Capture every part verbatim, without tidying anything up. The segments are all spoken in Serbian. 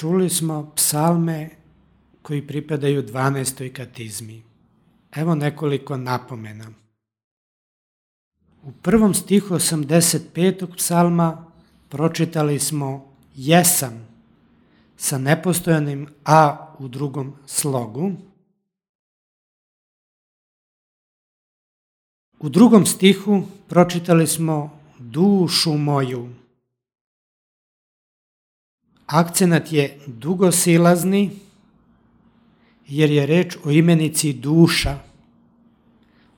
Čuli smo psalme koji pripadaju dvanaestoj katizmi. Evo nekoliko napomena. U prvom stihu osamdeset petog psalma pročitali smo jesam sa nepostojanim a u drugom slogu. U drugom stihu pročitali smo dušu moju. Akcenat je dugosilazni jer je reč o imenici duša.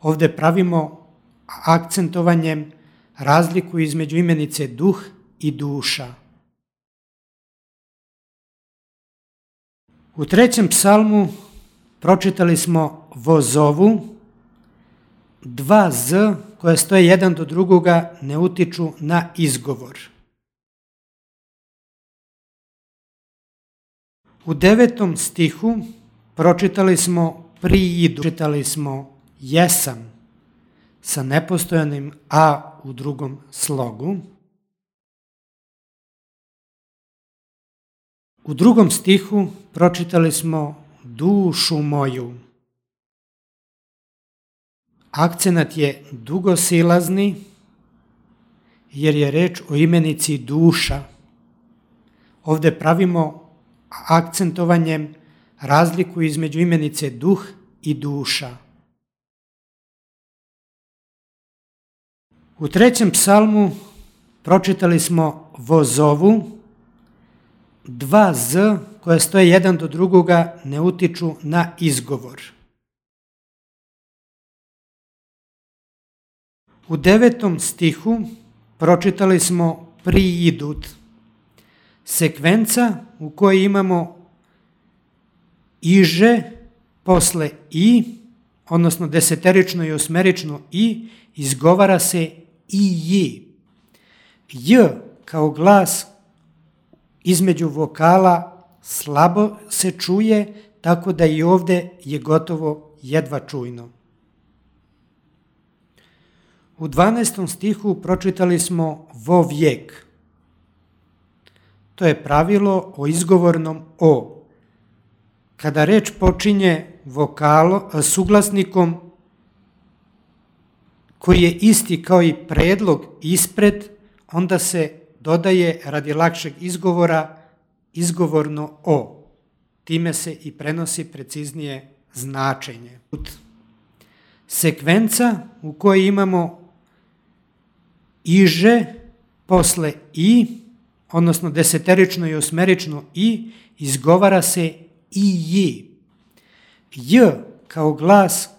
Ovde pravimo akcentovanjem razliku između imenice duh i duša. U trećem psalmu pročitali smo vozovu. Dva z koje stoje jedan do drugoga ne utiču na izgovor. U devetom stihu pročitali smo priidu, pročitali smo jesam sa nepostojanim a u drugom slogu. U drugom stihu pročitali smo dušu moju. Akcenat je dugosilazni jer je reč o imenici duša. Ovde pravimo akcentovanjem razliku između imenice duh i duša. U trećem psalmu pročitali smo vozovu. Dva z koje stoje jedan do drugoga ne utiču na izgovor. U devetom stihu pročitali smo priidut. Sekvenca u kojoj imamo iže posle i, odnosno deseterično i osmerično i, izgovara se i ji. J kao glas između vokala slabo se čuje, tako da i ovde je gotovo jedva čujno. U dvanaestom stihu pročitali smo vo vijek. To je pravilo o izgovornom o. Kada reč počinje vokalo, suglasnikom koji je isti kao i predlog ispred, onda se dodaje radi lakšeg izgovora izgovorno o. Time se i prenosi preciznije značenje. Sekvenca u kojoj imamo iže posle i, odnosno deseterično i osmerično i, izgovara se i ji. J kao glas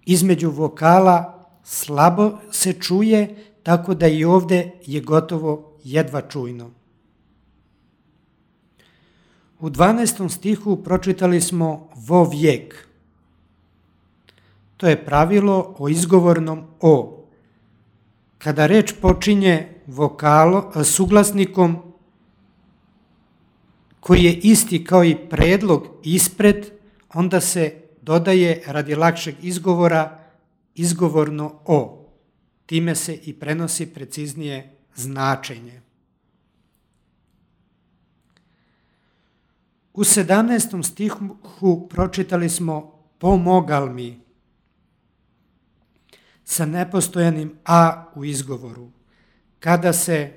između vokala slabo se čuje, tako da i ovde je gotovo jedva čujno. U dvanaestom stihu pročitali smo vo vijek. To je pravilo o izgovornom o. Kada reč počinje vokalo, suglasnikom koji je isti kao i predlog ispred, onda se dodaje radi lakšeg izgovora izgovorno o. Time se i prenosi preciznije značenje. U sedamnaestom stihu pročitali smo pomogal mi sa nepostojanim a u izgovoru. Kada se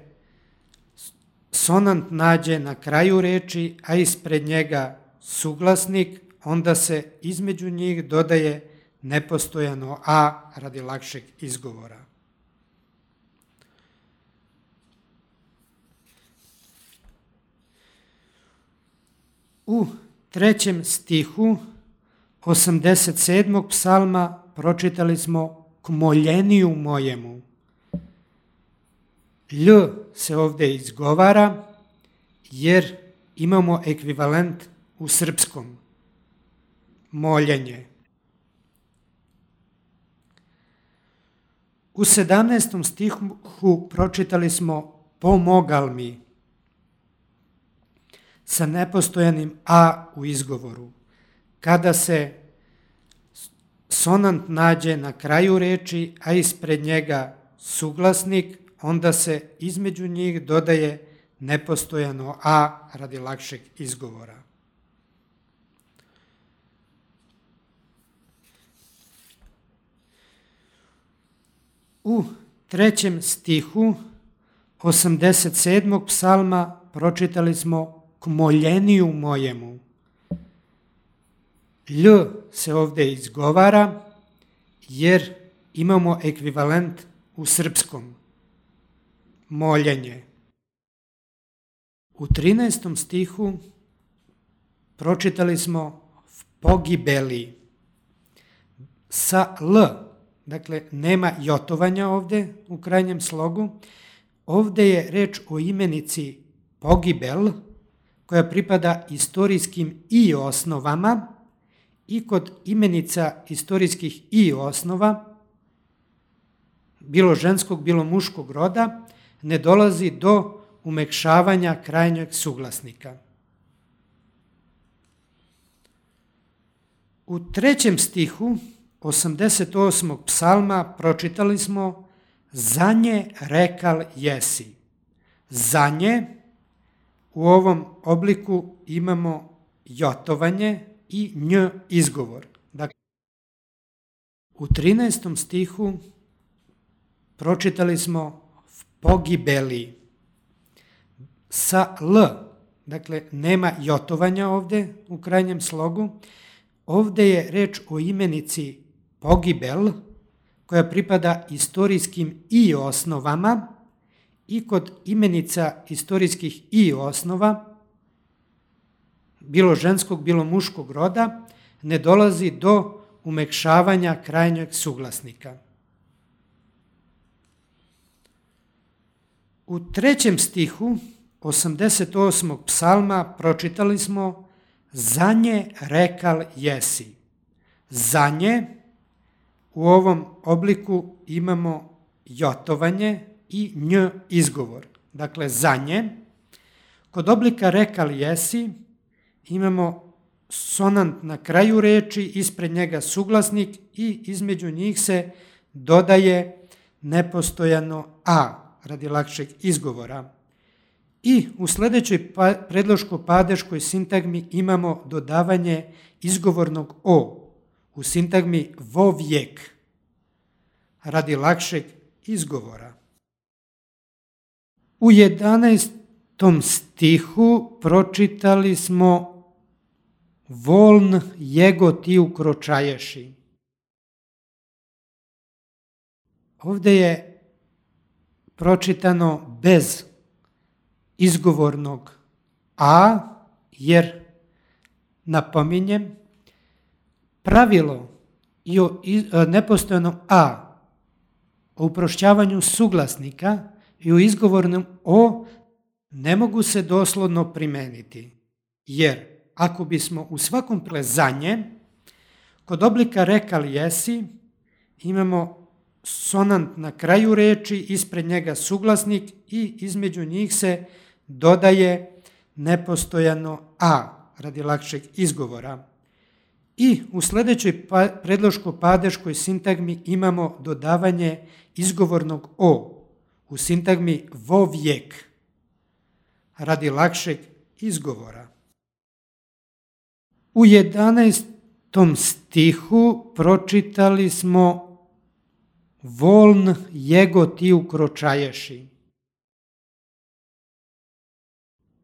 sonant nađe na kraju reči, a ispred njega suglasnik, onda se između njih dodaje nepostojano a radi lakšeg izgovora. U trećem stihu osamdeset sedmog psalma pročitali smo k moljeniju mojemu. Lj se ovde izgovara jer imamo ekvivalent u srpskom. Moljenje. U sedamnaestom stihu pročitali smo pomogal mi sa nepostojanim a u izgovoru. Kada se sonant nađe na kraju reči, a ispred njega suglasnik, onda se između njih dodaje nepostojano a radi lakšeg izgovora. U trećem stihu osamdeset sedmog psalma pročitali smo k moljeniju mojemu. Lj se ovdje izgovara jer imamo ekvivalent u srpskom. Moljenje. U trinaestom stihu pročitali smo v pogibeli. Sa l, dakle nema jotovanja ovdje u krajnjem slogu. Ovdje je reč o imenici pogibel koja pripada istorijskim i osnovama i kod imenica istorijskih i osnova, bilo ženskog, bilo muškog roda, ne dolazi do umekšavanja krajnjeg suglasnika. U trećem stihu osamdeset osmog psalma pročitali smo za nje rekal jesi. Za nje u ovom obliku imamo jotovanje i nj izgovor. Dakle, u trinaestom stihu pročitali smo v pogibeli. Sa l, dakle nema jotovanja ovdje u krajnjem slogu. Ovdje je reč o imenici pogibel koja pripada istorijskim i osnovama i kod imenica istorijskih i osnova, bilo ženskog, bilo muškog roda, ne dolazi do umekšavanja krajnjeg suglasnika. U trećem stihu osamdeset osmog psalma pročitali smo za nje rekal jesi. Za nje u ovom obliku imamo jotovanje i nj izgovor. Dakle, za nje. Kod oblika rekal jesi imamo sonant na kraju reči, ispred njega suglasnik i između njih se dodaje nepostojano a radi lakšeg izgovora. I u sljedećoj predloško-padeškoj sintagmi imamo dodavanje izgovornog o u sintagmi vovijek radi lakšeg izgovora. U jedanaestom stihu pročitali smo voln jego ti ukročaješi. Ovdje je pročitano bez izgovornog a, jer napominjem, pravilo i o nepostojanom a, o uprošćavanju suglasnika i o izgovornom o ne mogu se doslovno primeniti, jer ako bismo u svakom plezanje kod oblika rekal jesi imamo sonant na kraju reči, ispred njega suglasnik i između njih se dodaje nepostojano a radi lakšeg izgovora. I u sljedećoj predloško-padeškoj sintagmi imamo dodavanje izgovornog o u sintagmi vovijek radi lakšeg izgovora. U jedanaestom stihu pročitali smo voln jego ti ukročaješi.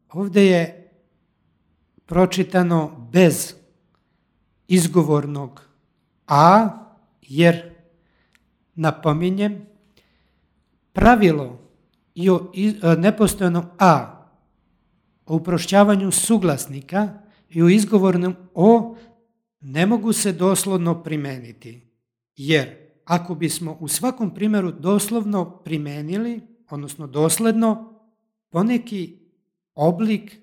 Ovdje je pročitano bez izgovornog a, jer napominjem, pravilo i o nepostojanom a, o uprošćavanju suglasnika i o izgovornom o ne mogu se doslovno primeniti, jer ako bismo u svakom primjeru doslovno primenili, odnosno dosledno, poneki oblik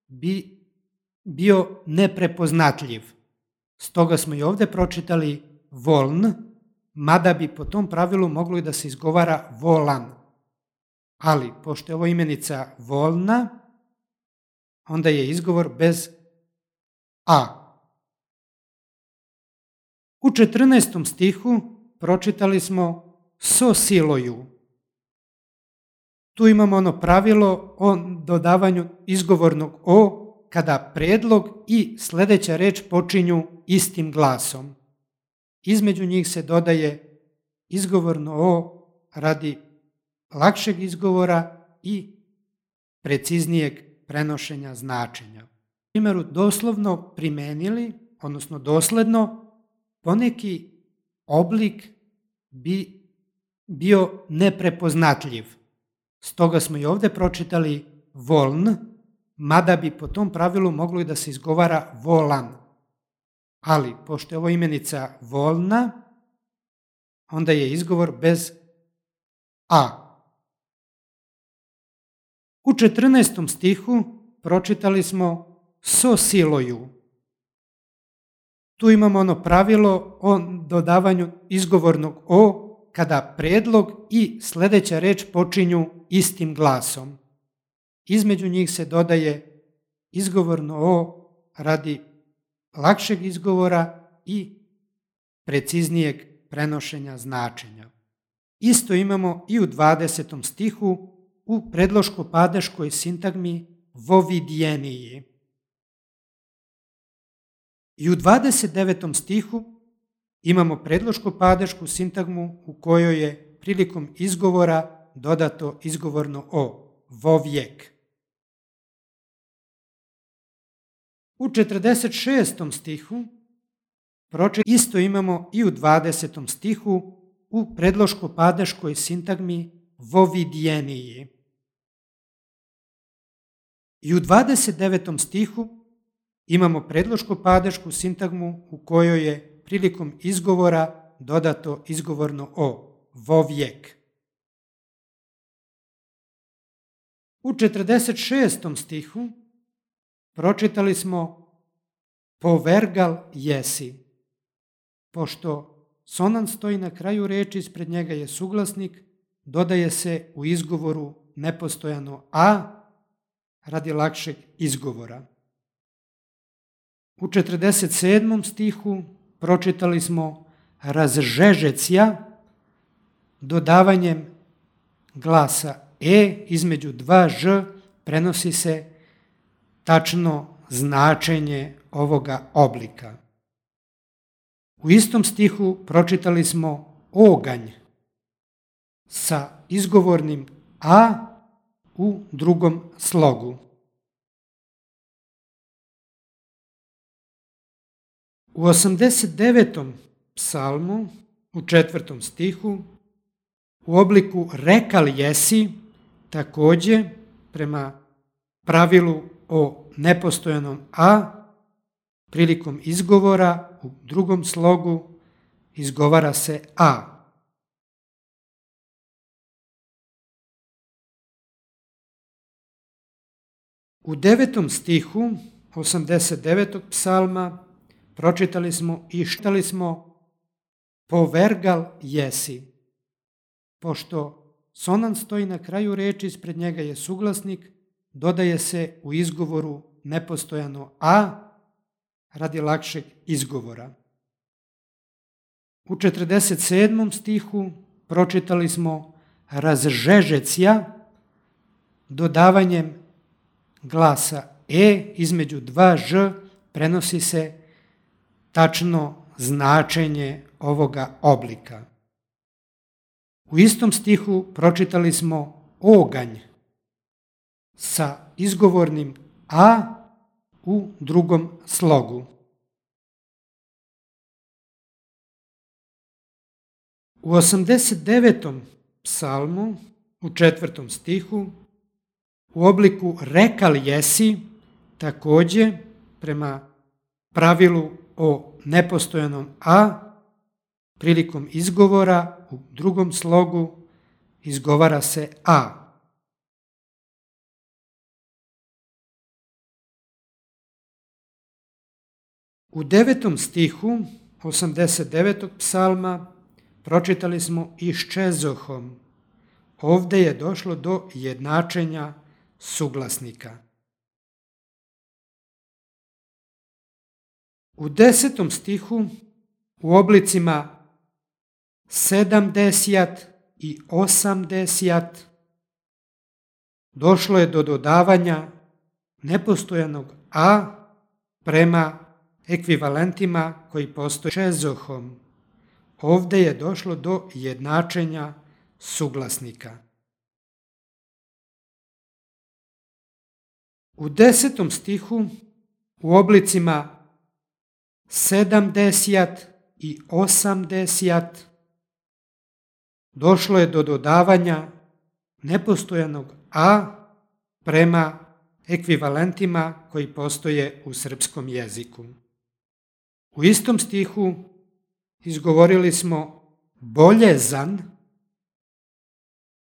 bi bio neprepoznatljiv. Stoga smo i ovdje pročitali voln, mada bi po tom pravilu moglo i da se izgovara volan. Ali, pošto je ovo imenica volna, onda je izgovor bez a. U četrnaestom stihu pročitali smo so siloju. Tu imamo ono pravilo o dodavanju izgovornog o kada predlog i sljedeća reč počinju istim glasom. Između njih se dodaje izgovorno o radi lakšeg izgovora i preciznijeg prenošenja značenja. U primjeru doslovno primenili, odnosno dosledno, poneki oblik bi bio neprepoznatljiv. Stoga smo i ovdje pročitali voln, mada bi po tom pravilu moglo i da se izgovara volan. Ali, pošto je ovo imenica volna, onda je izgovor bez a. U četrnaestom stihu pročitali smo so siloju. Tu imamo ono pravilo o dodavanju izgovornog o kada predlog i sljedeća reč počinju istim glasom. Između njih se dodaje izgovorno o radi lakšeg izgovora i preciznijeg prenošenja značenja. Isto imamo i u dvadesetom stihu u predloško-padeškoj sintagmi vovidjeniji. I u dvadeset devetom stihu imamo predloško-padešku sintagmu u kojoj je prilikom izgovora dodato izgovorno o, vovijek. U četrdeset šestom stihu isto imamo i u dvadesetom stihu u predloško-padeškoj sintagmi vovidjeniji. I u dvadeset devetom stihu imamo predloško-padešku sintagmu u kojoj je prilikom izgovora dodato izgovorno o, vovijek. U četrdeset šestom stihu pročitali smo povergal jesi. Pošto sonan stoji na kraju reči, ispred njega je suglasnik, dodaje se u izgovoru nepostojano a radi lakšeg izgovora. U četrdeset sedmom stihu pročitali smo razžežecija dodavanjem glasa e između dva ž prenosi se tačno značenje ovoga oblika. U istom stihu pročitali smo oganj sa izgovornim a u drugom slogu. U osamdeset devetom psalmu u četvrtom stihu u obliku rekal jesi, također prema pravilu o nepostojanom a, prilikom izgovora u drugom slogu izgovara se a. U devetom stihu osamdeset devetog psalma pročitali smo i štali smo povergal jesi. Pošto sonan stoji na kraju reči, ispred njega je suglasnik, dodaje se u izgovoru nepostojano a radi lakšeg izgovora. U četrdeset sedmom stihu pročitali smo razžežecija dodavanjem glasa e između dva ž prenosi se tačno značenje ovoga oblika. U istom stihu pročitali smo oganj sa izgovornim a u drugom slogu. U osamdeset devetom psalmu u četvrtom stihu u obliku rekal jesi, također prema pravilu o nepostojanom a, prilikom izgovora u drugom slogu izgovara se a. U devetom stihu osamdeset devetog psalma pročitali smo iščezohom. Ovdje je došlo do jednačenja suglasnika. U desetom stihu u oblicima sedamdesijat i osamdesijat došlo je do dodavanja nepostojanog a prema ekvivalentima koji postoje čezohom. Ovde je došlo do jednačenja suglasnika. U desetom stihu u oblicima sedamdesijat i osamdesijat došlo je do dodavanja nepostojanog a prema ekvivalentima koji postoje u srpskom jeziku. U istom stihu izgovorili smo boljezan,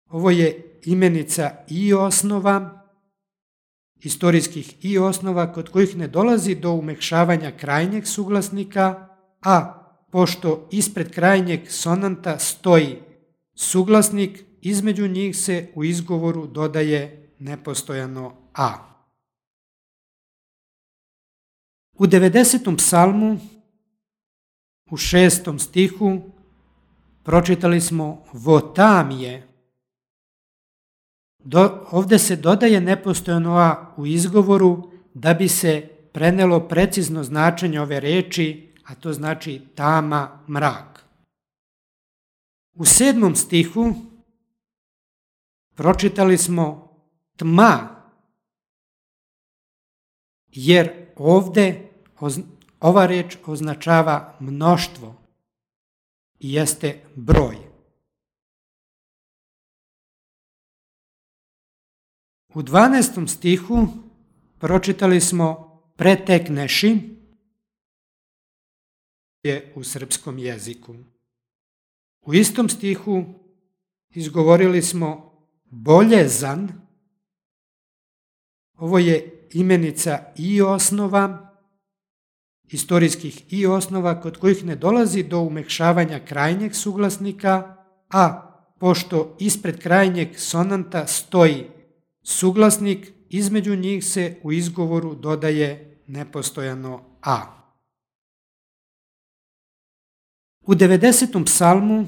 ovo je imenica i osnova, istorijskih i osnova kod kojih ne dolazi do umekšavanja krajnjeg suglasnika, a pošto ispred krajnjeg sonanta stoji suglasnik, između njih se u izgovoru dodaje nepostojano a. U devedesetom psalmu, u šestom stihu, pročitali smo votamije. Do, ovde se dodaje nepostojano a u izgovoru da bi se prenelo precizno značenje ove reči, a to znači tama, mrak. U sedmom stihu pročitali smo tma, jer ovde ova reč označava mnoštvo i jeste broj. U dvanaestom stihu pročitali smo pretekneši, je u srpskom jeziku. U istom stihu izgovorili smo boljezan, ovo je imenica i osnova, istorijskih i osnova kod kojih ne dolazi do umekšavanja krajnjeg suglasnika, a pošto ispred krajnjeg sonanta stoji suglasnik, između njih se u izgovoru dodaje nepostojano a. U devedesetom psalmu,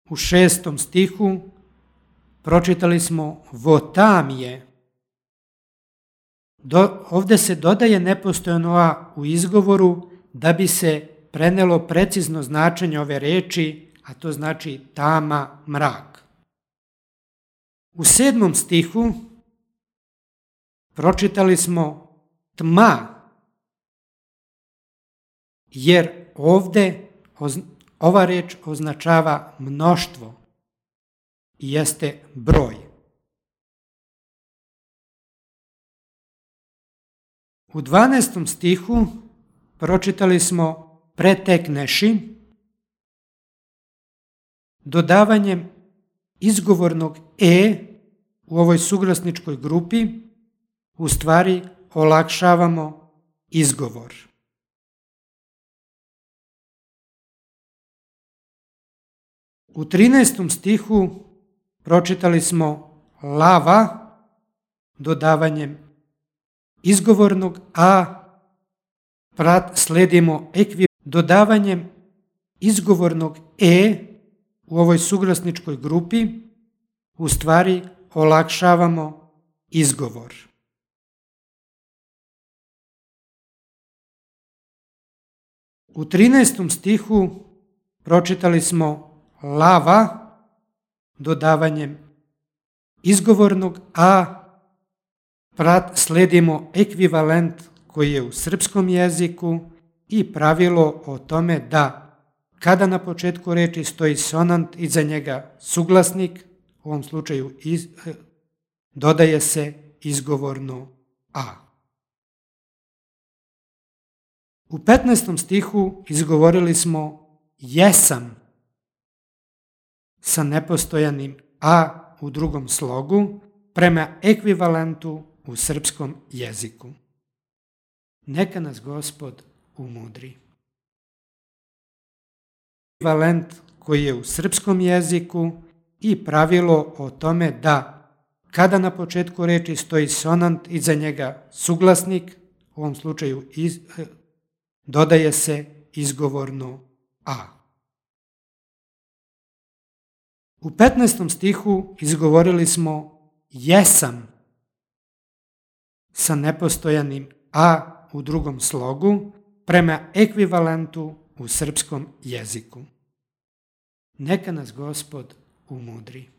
u šestom stihu, pročitali smo votamije. Do, ovde se dodaje nepostojano a u izgovoru da bi se prenelo precizno značenje ove reči, a to znači tama, mrak. U sedmom stihu pročitali smo tma, jer ovde ova reč označava mnoštvo i jeste broj. U dvanaestom stihu pročitali smo pretekneši, dodavanjem izgovornog e u ovoj suglasničkoj grupi u stvari olakšavamo izgovor. U trinaestom stihu pročitali smo lava, dodavanjem izgovornog a prat, sledimo ekvi, dodavanjem izgovornog e u ovoj suglasničkoj grupi u stvari olakšavamo izgovor. U trinaestom stihu pročitali smo lava, dodavanjem izgovornog a prat, sledimo ekvivalent koji je u srpskom jeziku i pravilo o tome da kada na početku reči stoji sonant, iza njega suglasnik, u ovom slučaju iz, dodaje se izgovorno a. U petnaestom stihu izgovorili smo jesam sa nepostojanim a u drugom slogu prema ekvivalentu u srpskom jeziku. Neka nas Gospod umudri. Ekvivalent koji je u srpskom jeziku i pravilo o tome da kada na početku reči stoji sonant, iza njega suglasnik, u ovom slučaju iz, dodaje se izgovorno a. U petnaestom stihu izgovorili smo jesam sa nepostojanim a u drugom slogu prema ekvivalentu u srpskom jeziku. Neka nas Gospod umudri.